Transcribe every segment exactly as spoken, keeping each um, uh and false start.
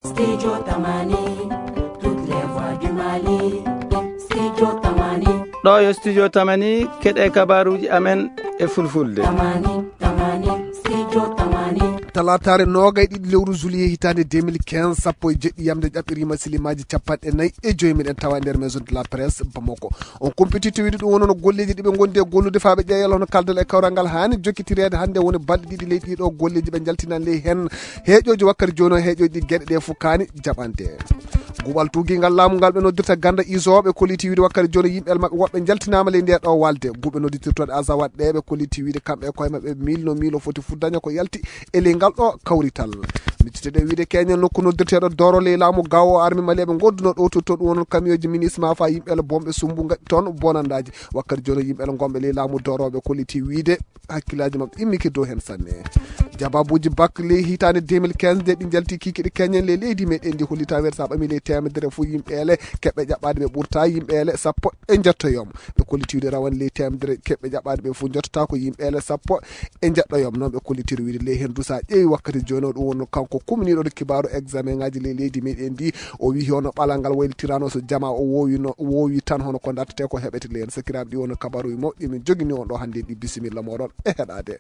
Studio Tamani, toutes les voix du Mali. Studio Tamani. Ɗo yo Studio Tamani, keɗe kabaruji amen e fulfulde. Tamani, Tamani, Studio Tamani. Talataare noogay ɗiɗi lewru juillet hitaande deux mille quinze, sappo e jeɗɗi yamde ƴaɓɓiriima silimaji capanɗe nayi e joyi. Miɗen tawa nder maison de la presse Bamako. On compétitivité ɗum woni no golleeji ɗi ɓe ngondi e gollude faa ɓe ƴeewa yalla hono kaldal e kawral ngal haani jokkitireede hannde woni balɗe ɗiɗi ley ɗiɗo golleeji ɓe njaltinan ley heen heeƴooji wakkati jooni o heeƴooji ɗi geɗe ɗe fof kaani jaɓante. Guɓal tuugingal laamu ngal ɓe noddirta ganda iso ɓe kolliti wiide wakkati jooni yimɓe maɓɓe woɓɓe njaltinaama ley nde ɗo walde guɓe nodditirtooɗe asawaɗ ɗe ɓe kolliti wiide kamɓe e koye maɓɓe mille no mille foti fof daña ko yalti e ley ngal ɗo kawrital. Mittite ɗe wiide keñal nokku noddirteeɗo doro ley laamu gawo o armi maleɓe gonduno ɗo totto ɗum wonon kamiyoji minisma fa yimɓe la bomɓe sumbu gaɗi toon bonandaji. Wakkati jooni yimɓe la gomɓe ley laamu doroɓe kolliti wiide hakkillaji maɓɓe immiki dow hen sanne. Jababuji bak ley hitande deux mille quinze nde ɗi jalti kikiɗe keñen ley leydi meɗen ndi hollita wer sa ɓami ley temedere fof yimɓe ele keɓɓe ƴaɓɓade ɓe ɓurta yimɓe ele sappo e jattoyom. Ɓe kolliti wiide rawane ley temedere keɓɓe ƴaɓɓade ɓe fof jottata ko yimɓe ele sappo e jeɗɗoyom. Noon ɓe kollitiri wiide ley heen du sa ƴeewi wakkati jooni o ɗum wonno kanko kumniiɗo ɗo kibaaru examen ngaji ley leydi meɗen ndi. O wiyi hono ɓalal ngal waylitirano so jama o wowi no wowi tan hono ko dartete ko heɓete ley heen sakiraaɓe ɗi wonno kabaruji mawɗi min jogini on ɗo hannde ɗi bisimilla moɗon e heɗade.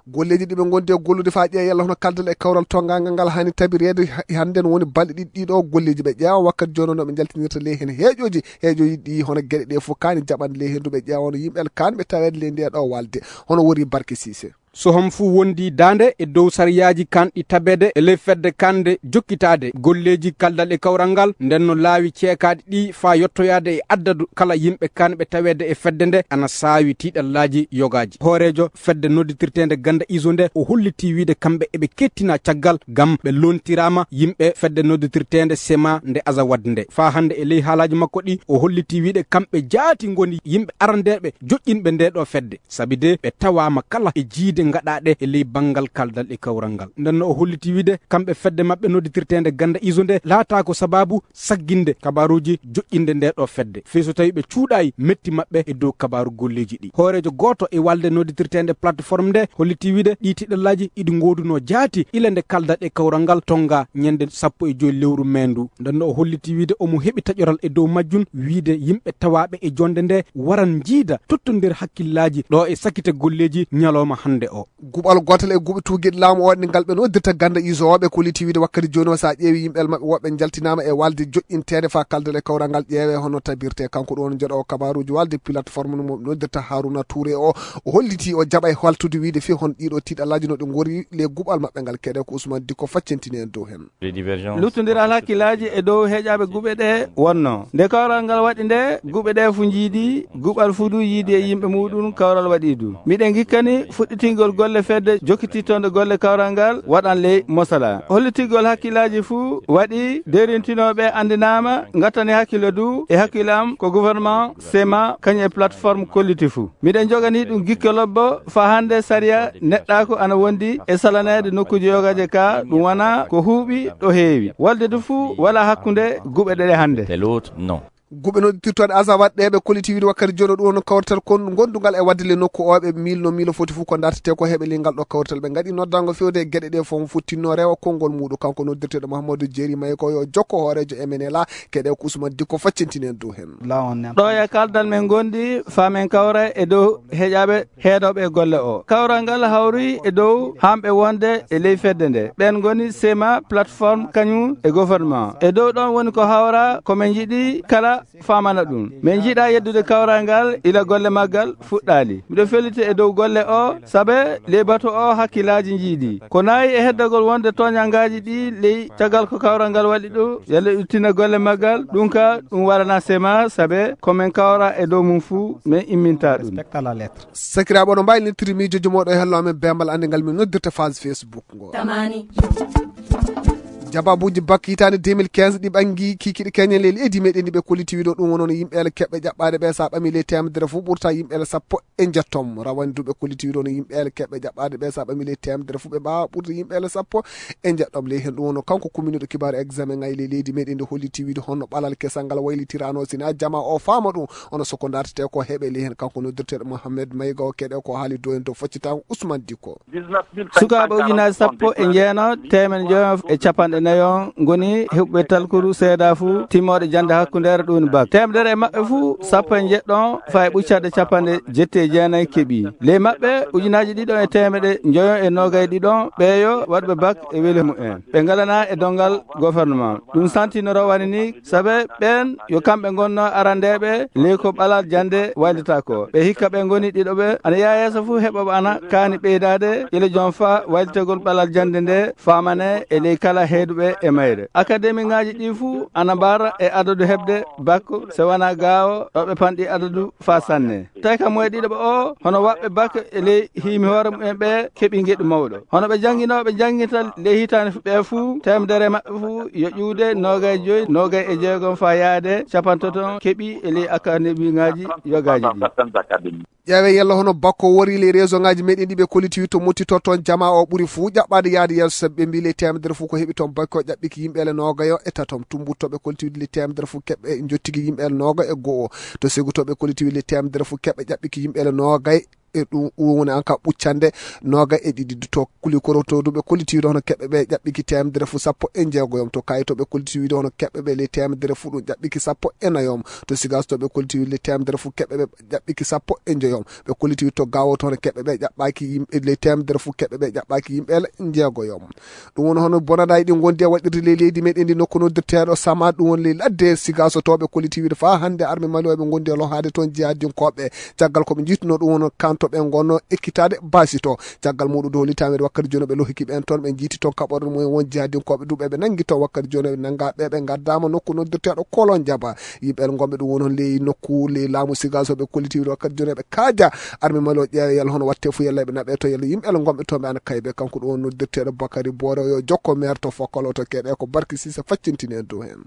Golleji ɗi ɓe gondi e gollude fa ƴeewa yalla hono kaldal e kawral tongagal ngal hani tabirede hannde no woni balɗe ɗiɗi ɗiɗo golleji ɓe ƴeewa wakkati jooni no ɓe jaltinirta ley heen heeƴoji heeƴoji ɗi hono geɗe ɗe fof kani jaɓande ley heen du ɓe ƴeewa no yimɓe kan ɓe tawede ley nde ɗo walde hono wori barke sise. So hom fuu wondi daande e dow sariyaaji kanɗi tabede e ley fedde kande jokkitaade golleeji kaldal e kawral ngal nden no laawi ceekaaɗi ɗi faa yottoyaade e addadu kala yimɓe kanɓe taweede e fedde nde ana saawi tiiɗallaaji yogaaji. Hooreejo fedde nodditirteende ganda iso nde o hollitii wiide kamɓe eɓe kettina caggal ngam ɓe lontiraama yimɓe fedde nodditirteende sema nde asawaɗ nde. Faa hannde e ley haalaaji makko ɗi o hollitii wiide kamɓe jaati ngoni yimɓe arandeeɓe joƴƴinɓe nde ɗo fedde. Sabi de ɓe tawaama kala e jiide ngaɗaaɗe e ley banngal kaldal e kawral ngal. Nden no o holliti wiide kamɓe fedde maɓɓe nodditirteende ganda iso nde laataa ko sababu sagginde kabaaruuji joƴƴinde nde ɗo fedde. Fii so tawi ɓe cuuɗaayi metti maɓɓe e dow kabaaru golleeji ɗi. Hooreejo gooto e walde nodditirteende plateforme nde holliti wiide ɗi tiɗallaaji iɗi ngoodunoo jaati ila nde kaldal e kawral ngal tonnga ñande sappo e joy lewru mee ndu. Nden no o holliti wiide omo heɓi taƴoral e dow majjum wiide yimɓe tawaaɓe e jonde nde waran njiida tottondir hakkillaaji ɗo e sakite golleeji ñalooma hannde o. Guɓal gootal e guɓe tuugiɗe laamu o waɗi ngal ɓe noddirta ganda iso o ɓe kolliti wiide wakkati jooni o sa ƴeewi yimɓe maɓɓe woɓɓe jaltinaama e walde joƴƴinteede fa kaldal e kawral ngal ƴeewe hono tabirte kanko ɗon joɗo o kabaruji walde plateforme no mo noddirta Haruna Touré o. O holliti o jaɓa e haltude wiide fii hon ɗiɗo tiɗallaaji no ɗi ngori le guɓal maɓɓe ngal keɗe ko Ousmane Dikko faccintini en dow hen. Luttondiral hakkillaaji e dow heƴaaɓe guɓe ɗe wonno. Nde kawral ngal waɗi nde, guɓe ɗe fu njiidi, guɓal fu du yiidi e yimɓe muɗum kawral waɗi du. Miɗen ngikkani fuɗɗitingol golle fedde jokkitittonde golle kawral ngal waɗan ley mosala. Hollitigol hakkillaaji fu waɗi derintinooɓe anndinaama, ngattani hakkille du e hakkille am ko gouvernement, sema, kañum e plateforme kolliti fu. Miɗen jogani ɗum gikke lobbo faa hannde sariya neɗɗaaku ana wondi e salaneede nokkuuji yogaaje ka ɗum wona ko huuɓi ɗo heewi. Walde du fuu wala hakkunde guɓe ɗeɗe hannde. Tel autre, non. Guɓe nodditirtooɗe asawaɗ ɗe ɓe kolliti wiide wakkati joɗo ɗum on kawrital kon gondungal e wadde le nokku o ɓe miilno miilo foti fof ko dartete ko heɓe lingal ɗo kawrital ɓe ngaɗi noddango fewde e geɗe ɗe fof mo fottinno rewa konngol muɗum kanko noddirteɗo Mahamadou Jeeri Mayi ko yo jokko hoorejo M N L A keɗe ko Ousmane Dikko faccintini en dow hen. Ɗo e kaldal men gondi faa men kawra e dow heƴaaɓe heedooɓe e golle o. Kawral ngal hawri e dow hamɓe wonde e ley fedde nde. Ɓen ngoni sema, plateforme, kañum e gouvernement. E dow ɗon woni ko hawra ko men njiɗi kala faamana ɗum. Min njiɗa yeddude kawral ngal ila golle maggal fuɗɗaali. Miɗo felliti e dow golle o, sabe ley batu o hakkillaaji njiidi. Ko nayi e heddagol wonde tooñangaaji ɗi ley caggal ko kawral ngal waɗi ɗum, yalla ɗum tina golle maggal, ɗum ka ɗum warana sema, sabe ko min kawra e dow mum fuu, min imminta ɗum. Sakiraaɓe, oɗon mbaawi noddirde miijooji mooɗon e hello amen beembal annde ngal min noddirta page Facebook ngo. Tamani. Jababuuji bak hitaande deux mille quinze ɗi ɓangi kiikiiɗe keñe ley leydi meɗen ndi ɓe kolliti wiɗo ɗum wonono yimɓe ele keɓɓe ƴaɓɓaade ɓe, so a ɓami ley teemedere fof ɓurta yimɓe ele sappo e njettom. Rawane du ɓe kolliti wiɗo no yimɓe ele keɓɓe ƴaɓɓaade ɓe, so a ɓami ley teemedere fof ɓe mbaawa ɓurta yimɓe ele sappo e njettom. Ley heen ɗum wono kanko kuminiiɗo kibaaru examen ŋay ley leydi meɗen ndi holliti wiɗo honno ɓalal kesal ngal waylitiranoo, sina jama o faama ɗum, ono soko dartete ko heɓe ley heen kanko noddirteeɗo Mohamed Mayga o keɗe ko haali do en dow faccitango Ousmane Dikko. Sukaaɓe ujunaaji sappo e jeenayi, teemedde njoyo e capanɗe nayo ngoni heɓuɓe talkuru seedaa fuu timmooɗe jannde hakkundeere ɗum bak. Teemedere e maɓɓe fuu, sappo e njeɗɗo faa e ɓuccorde capanɗe jetti e jeenayi keɓi. Ley maɓɓe, ujunaaji ɗiɗo e teemedde njoyo e noogay ɗiɗo ɓeeyo waɗɓe bak e weli mumen. Ɓe ngalanaa e donngal gouvernement. Ɗum santinoro wani ni, sabe ɓeen yo kamɓe ngonnoo arandeeɓe ley ko ɓalal jannde waylita ko. Ɓe hikka ɓe ngoni ɗiɗo ɓe ana yaha yeeso fuu heɓooɓe ana kaani ɓeydaade ila joom faa waylitegol ɓalal jannde nde faamane e ley kala heeduɓe e mayre. Akademiŋaaji ɗi fuu ana mbaara e adadu heɓde bak, so wanaa gaawo ɗo ɓe panɗi adadu faa sanne. Tawi kam moye ɗiɗo ɓe o, hono waɗɓe bak e ley hiimi hoore mumen ɓe keɓi ngeɗu mawɗo. Hono ɓe jannginooɓe jannginta ley hitaande fu-, ɓe fuu, teemedere maɓɓe fuu yo ƴuwde noogay joyi, noogay e jeegom faa yaade capantato keɓi e ley akademiŋaaji yogaaji ɗi. Ƴeewe yalla hono bakko wori ley réseau ŋaaji meɗen ɗi ɓe kolliti to mottito toon jama o ɓuri fuu ƴaɓɓaade yaade yeeso, sabi ɓe mbi ley teemedere fuu ko heɓi toon bakko ƴaɓɓiki yimɓe ele noogayo e tatom. Tumbuttoɓe kolliti ley teemedere fuu keɓɓe njottigi yimɓe ele nooga e go'o. To Segutoɓe kolliti ley teemedere fuu keɓɓe ƴaɓɓiki yimɓe ele noogay e ɗum, ɗum woni an ka ɓuccande nooga e ɗiɗi. To Kulikoro to ɗum ɓe kolliti wiide hono keɓɓe ɓe ƴaɓɓiki teemedere fuu sappo e njeegoyom. To Kayitoɓe kolliti wiide hono keɓɓe ɓe ley teemedere fuu ɗum ƴaɓɓiki sappo e nayom. To Sigaas to ɓe kolliti wiide ley teemedere fuu keɓɓe ɓe ƴaɓɓiki sappo e njoyom. Ɓe kolliti wiide to Gaawo to hono keɓɓe ɓe ƴaɓɓaaki yimɓe ley teemedere fuu keɓɓe ɓe ƴaɓɓaaki yimɓe ele njeegoyom. Ɗum woni hono bonanɗaaji ɗi ngondi e waɗirde ley leydi meɗen ndi nokku noddirteeɗo Sama, ɗum woni ley ladde Sigaso to ɓe kolliti wiide faa hannde arme Mali o ɓe ngondi e lohaade toon jihadinkooɓe. Caggal ko ɓe njiituno ɗum woni kanto ɓe ngonno ekkitaade basi to. Caggal muɗum ɗo hollitaama wakkati jooni ɓe lohiki ɓeen toon ɓe njiiti toon kaɓorɗe mumen won jihadinkooɓe duuɓe ɓe nanngi toon wakkati jooni ɓe nannga ɓe ɓe ngaddaama nokku noddirteeɗo Kolon Jaba. Yimɓe ele ngonɓe ɗum woni hono ley nokku ley laamu Sigaso ɓe kolliti wiide wakkati jooni ɓe kaaja arme Mali o ƴeewa yalla hono watte fuu yalla ɓe naɓe to yalla yimɓe ele ngonɓe toon ɓe ana kaybe kanko ɗum woni noddirteeɗo Bakari Boore yo jokko maire to Fokkolo to keɗe ko Barki Sise faccintini en dow heen.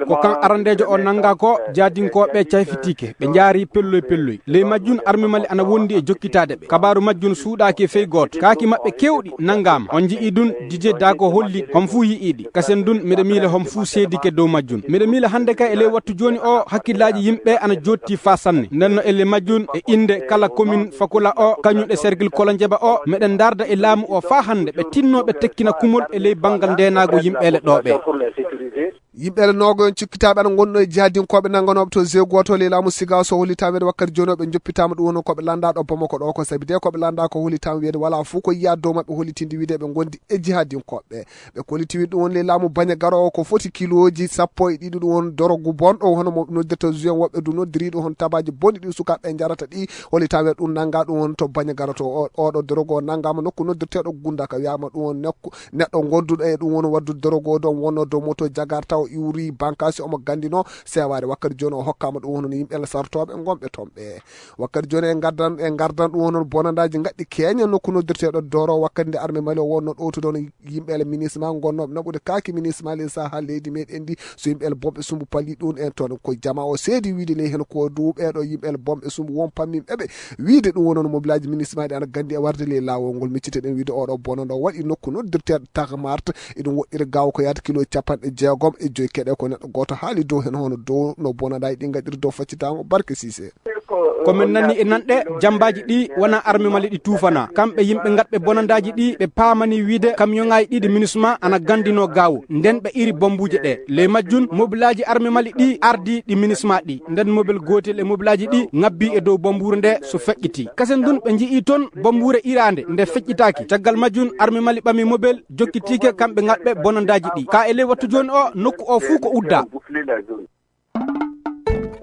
Ko kan arandeejo o nannga ko jaadinkooɓe cayfitiike, ɓe njaari pelloy pelloy. Ley majjum arme Mali ana wondi e jokkitaade ɓe. Kabaaru majjum suuɗaaki e fey gooto. Kaaki maɓɓe keewɗi nanngaama. On nji'ii ɗum, Didier Dago holli hom fuu yi'ii ɗi. Kasen ɗum, miɗo miila hom fuu seedike dow majjum. Miɗo miila hannde kay e ley wattu jooni o, hakkillaaji yimɓe ana jooɗti faa sanne. Nden no e ley majjum e innde kala commune Fakula o, kañum e cercle Kolonjeba o, meɗen ndaarda e laamu o faa hannde ɓe tinnoo ɓe tekkina kumol e ley banngal ndeenaago yimɓe ele ɗoo ɓe. Yimɓe ele noogo en cikkitaaɓe ana ngonno e jihadinkooɓe nannganooɓe to Zego to ley laamu Sigaso hollitaama wakkati jooni o ɓe njoppitaama ɗum woni ko ɓe lannda ɗo Bamako ɗo ko sabi de ko ɓe lannda ko hollitaama wiyeede walaa fof ko yiyaa dow maɓɓe hollitinde wiide ɓe ngondi e jihadinkooɓe. Ɓe kolliti wiide ɗum woni ley laamu Baña Garo o ko foti kilooji sappo e ɗiɗi ɗum woni dorogu bonɗo hono mo noddirta juin woɓɓe du noddiri ɗum hono tabaaji bonɗi ɗi sukaaɓe njarata ɗi hollitaama ɗum nannga ɗum woni to Baña Garo to o, oɗo dorogu o nanngaama nokku noddirteeɗo Gundaka wiyaama ɗum woni nokku neɗɗo gonduɗo e ɗum woni waddude dorogo ɗon wonno dow moto jagar taw iwri bankasi omo gandino sewaade wakkati jooni o hokkaama ɗum woni yimɓe sartooɓe gonɓe toon ɓe. Wakkati jooni e ngardan e ngardan ɗum woni bonandaaji ngaɗɗi keeña nokku noddirteeɗo Doro wakkati nde arme Mali o wonno ɗowtude on yimɓe ele minisma gonnooɓe naɓude kaaki minisma ley saha leydi meɗen ndi so yimɓe ele bomɓe sumbu pali ɗum en toon ko jama o seedi wiide ley heen ko duuɓeɗo yimɓe ele bomɓe sumbu won pamminɓe ɓe wiide ɗum wonono mobilaaji minismaaji ana ganndi e warde ley laawol ngol. Miccite ɗen wiide oɗo bonoɗo waɗi nokku noddirteeɗo Tagmart, eɗum woɗɗiri gaawo ko yahata kilo capanɗe jeegom e joyi keɗe ko neɗɗo gooto haali dow heen hono dow no bonoɗaaji ɗi ngaɗiri dow faccitaango Barke Siise. Ko min nani e nanɗe, jammbaaji ɗi wonaa arme Mali ɗi tuufanaa. Kamɓe yimɓe ngaɗɓe bonandaaji ɗi ɓe paamani wiide kamiyoŋaaji ɗiɗi minisma ana ganndinoo gaawo. Nden ɓe iri bombuuje ɗe. Ley majjun, mobilaaji arme Mali ɗi ardi ɗi minisma ɗi. Nden mobil gootel e mobilaaji ɗi ŋabbi e dow bombuure nde so feƴƴiti. Kasen ndun ɓe nji'i ton bombuure iraande nde feƴƴitaaki. Caggal majjun arme Mali ɓami mobil jokkitiike kamɓe ngaɗɓe bonandaaji ɗi. Ka e ley wattu jooni o nokku o fuu ko uddaa.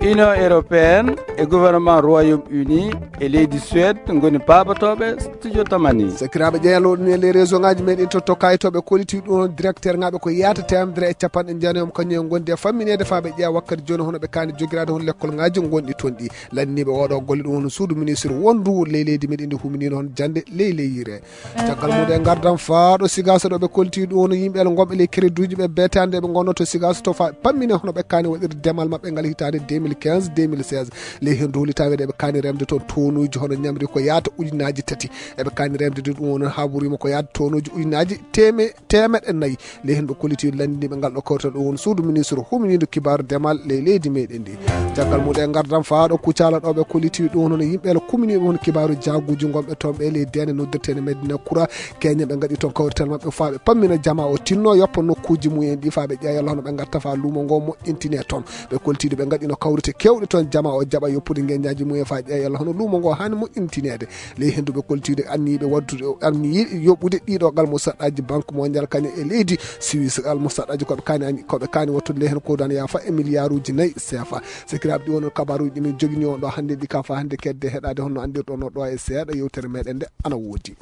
Union européenne e gouvernement Royaume-Uni e leydi Suède ngoni paabotooɓe studio Tamani. Sakiraaɓe, ƴeeñal o ɗum e les réseau ngaji meɗen to, to kayitooɓe kolliti ɗum, directeur ngaɓe ko yaata teemedere e capanɗe jeenayi, kañum en gondi e fammineede faaɓe ƴeewa wakkati jooni, hono ɓe kaani jogiraade hono lekkol ngaji gonɗi toon ɗi. Lanndiniiɓe oɗo golle ɗum hono suudu ministre wondu ley leydi meɗen ndi huminino hono jannde ley leyire. Caggal mum e ngardam faaɗo Sigaso ɗo ɓe kolti ɗum hono yimɓe gonɓe ley crédit uji ɓe beetande ɓe ngonno to Sigaso to fa pammine hono ɓe kaani waɗirde demal maɓɓe ngal hitaande deux mille quinze deux mille seize. Ley heen duuli taweede eɓe kaani remde toon tonuuji hono ñamri ko yaata ujunaaji tati. Eɓe kaani remde ɗum hono haɓuriima ko yaata tonuuji ujunaaji teme-, teemeɗɗe nayi. Ley heen ɓe kolliti lanndiniiɓe ngal ɗo kawtal ɗum woni suudu ministre huminiiɗo kibaaru demal ley leydi meɗen ndi. Caggal mum e ngardam faaɗo Kucala ɗo ɓe kolliti ɗum hono yimɓe la kuminiiɓe hono kibaaru jaaguuji gonɓe toon ɓe ley deende noddirteende Medina Kura. Keñe ɓe ngaɗi toon kawrital maɓɓe faa ɓe pammina jama o tinno yoppa nokkuuji mumen ɗi faa ɓe ƴeewa yalla hono ɓe ngatta faa luumo ngo moƴƴintine toon. Ɓe koltiiɗo ɓe ngaɗino kawrite keewɗe toon jama o jaɓa yoppude ngenjaaji mumen faa ƴeewa yalla hono luumo ngo haani moƴƴintineede. Ley henndu ɓe koltiiɗo anniyiiɓe waddude, anniyiiɓe yoɓude ɗiɗo gal mo saɗɗaaji Banque Mondiale kañum e leydi Suisse gal mo saɗɗaaji koɓe kaani, koɓe kaani wattude ley heen ko dan yaafa e miliyaaruuji nayi seefa. Sakiraaɓe, ɗi wonno kabaaruuji ɗi min jogini on ɗo hannde ɗi ka faa hannde kedde heɗaade honno anndirɗon no ɗo e seeɗa yewtere meɗen nde ana woodi.